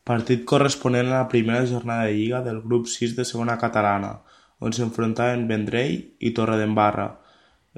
Partit corresponent a la primera jornada de Lliga del grup 6 de segona catalana, on s'enfrontaven Vendrell i Torredembarra.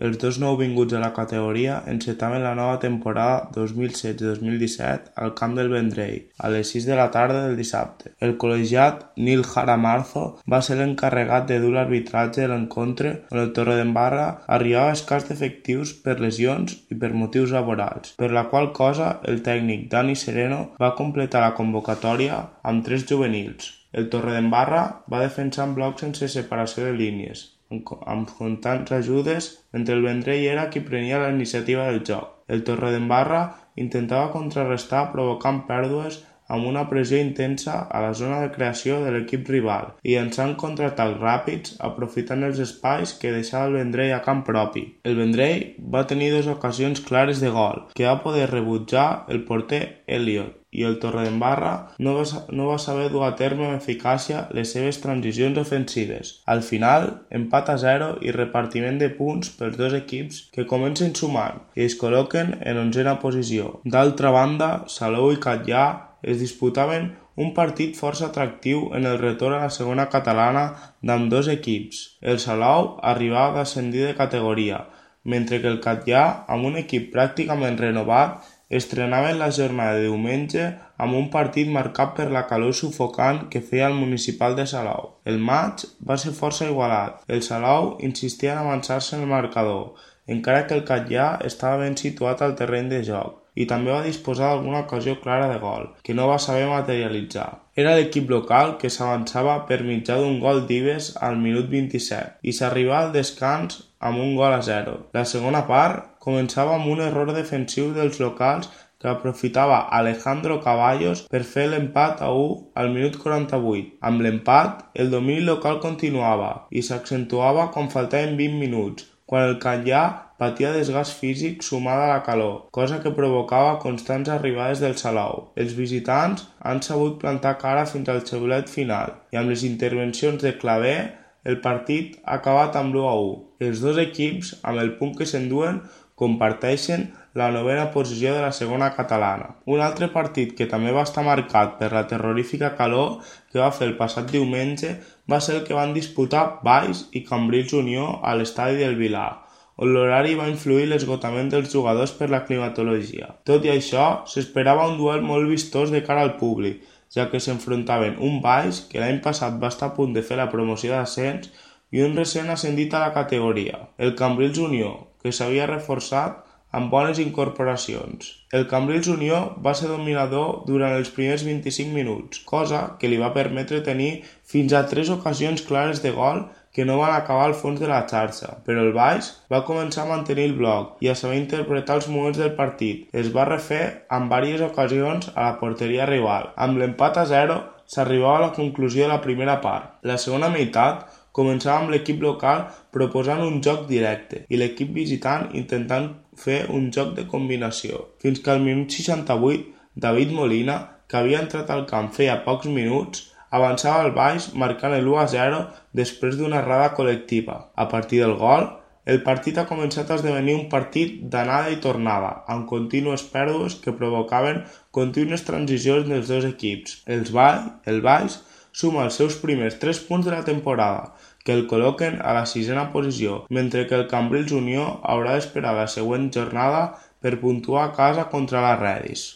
Els dos nouvinguts a la categoria encetaven la nova temporada 2016-2017 al camp del Vendrell, a les 6 de la tarda del dissabte. El col·legiat Nil Jaramarzo va ser l'encarregat de dur l'arbitratge de l'encontre, on el Torredembarra arribava escàs d'efectius per lesions i per motius laborals, per la qual cosa el tècnic Dani Sereno va completar la convocatòria amb 3 juvenils. El Torredembarra va defensar en bloc sense separació de línies, amb constants ajudes, mentre el Vendrell era qui prenia la iniciativa del joc. El Torredembarra intentava contrarrestar provocant pèrdues amb una pressió intensa a la zona de creació de l'equip rival i llançant contraatacs ràpids aprofitant els espais que deixava el Vendrell a camp propi. El Vendrell va tenir 2 ocasions clares de gol, que va poder rebutjar el porter Elliot, i el Torredembarra no va saber dur a terme amb eficàcia les seves transicions ofensives. Al final, empat a 0 i repartiment de punts pels dos equips que comencen sumant i es col·loquen en 11a posició. D'altra banda, Salou i Catllà es disputaven un partit força atractiu en el retorn a la segona catalana d'ambdós equips. El Salou arribava a ascendir de categoria, mentre que el Catllà, amb un equip pràcticament renovat, estrenaven la jornada de diumenge amb un partit marcat per la calor sufocant que feia el municipal de Salou. El maig va ser força igualat. El Salou insistia en avançar-se en el marcador, encara que el Catllà estava ben situat al terreny de joc i també va disposar d'alguna ocasió clara de gol, que no va saber materialitzar. Era l'equip local que s'avançava per mitjà d'un gol d'Ives al minut 27 i s'arribava al descans amb un gol a 0. La segona part començava amb un error defensiu dels locals que aprofitava Alejandro Caballos per fer l'empat a 1 al minut 48. Amb l'empat, el domini local continuava i s'accentuava quan faltaven 20 minuts, quan el Catllà patia desgast físic sumat a la calor, cosa que provocava constants arribades del Salou. Els visitants han sabut plantar cara fins al xiulet final i amb les intervencions de Claver el partit ha acabat amb l'1-1. Els dos equips, amb el punt que s'enduen, comparteixen la 9a posició de la segona catalana. Un altre partit que també va estar marcat per la terrorífica calor que va fer el passat diumenge va ser el que van disputar Valls i Cambrils Unió a l'estadi del Vilar, on l'horari va influir l'esgotament dels jugadors per la climatologia. Tot i això, s'esperava un duel molt vistós de cara al públic, ja que s'enfrontaven un Valls que l'any passat va estar a punt de fer la promoció d'ascens i un recent ascendit a la categoria, el Cambrils Unió, que s'havia reforçat amb bones incorporacions. El Cambrils Unió va ser dominador durant els primers 25 minuts, cosa que li va permetre tenir fins a 3 ocasions clares de gol que no van acabar al fons de la xarxa, però el Valls va començar a mantenir el bloc i a saber interpretar els moments del partit. Es va refer en diverses ocasions a la porteria rival. Amb l'empat a 0 s'arribava a la conclusió de la primera part. La segona meitat començava amb l'equip local proposant un joc directe i l'equip visitant intentant fer un joc de combinació, fins que al minut 68 David Molina, que havia entrat al camp feia pocs minuts, avançava al Valls marcant l'1-0 després d'una errada col·lectiva. A partir del gol, el partit ha començat a esdevenir un partit d'anada i tornada, amb contínues pèrdues que provocaven contínues transicions dels dos equips. El Valls suma els seus primers 3 punts de la temporada, que el col·loquen a la 6a posició, mentre que el Cambrils Unió haurà d'esperar la següent jornada per puntuar a casa contra la Redis.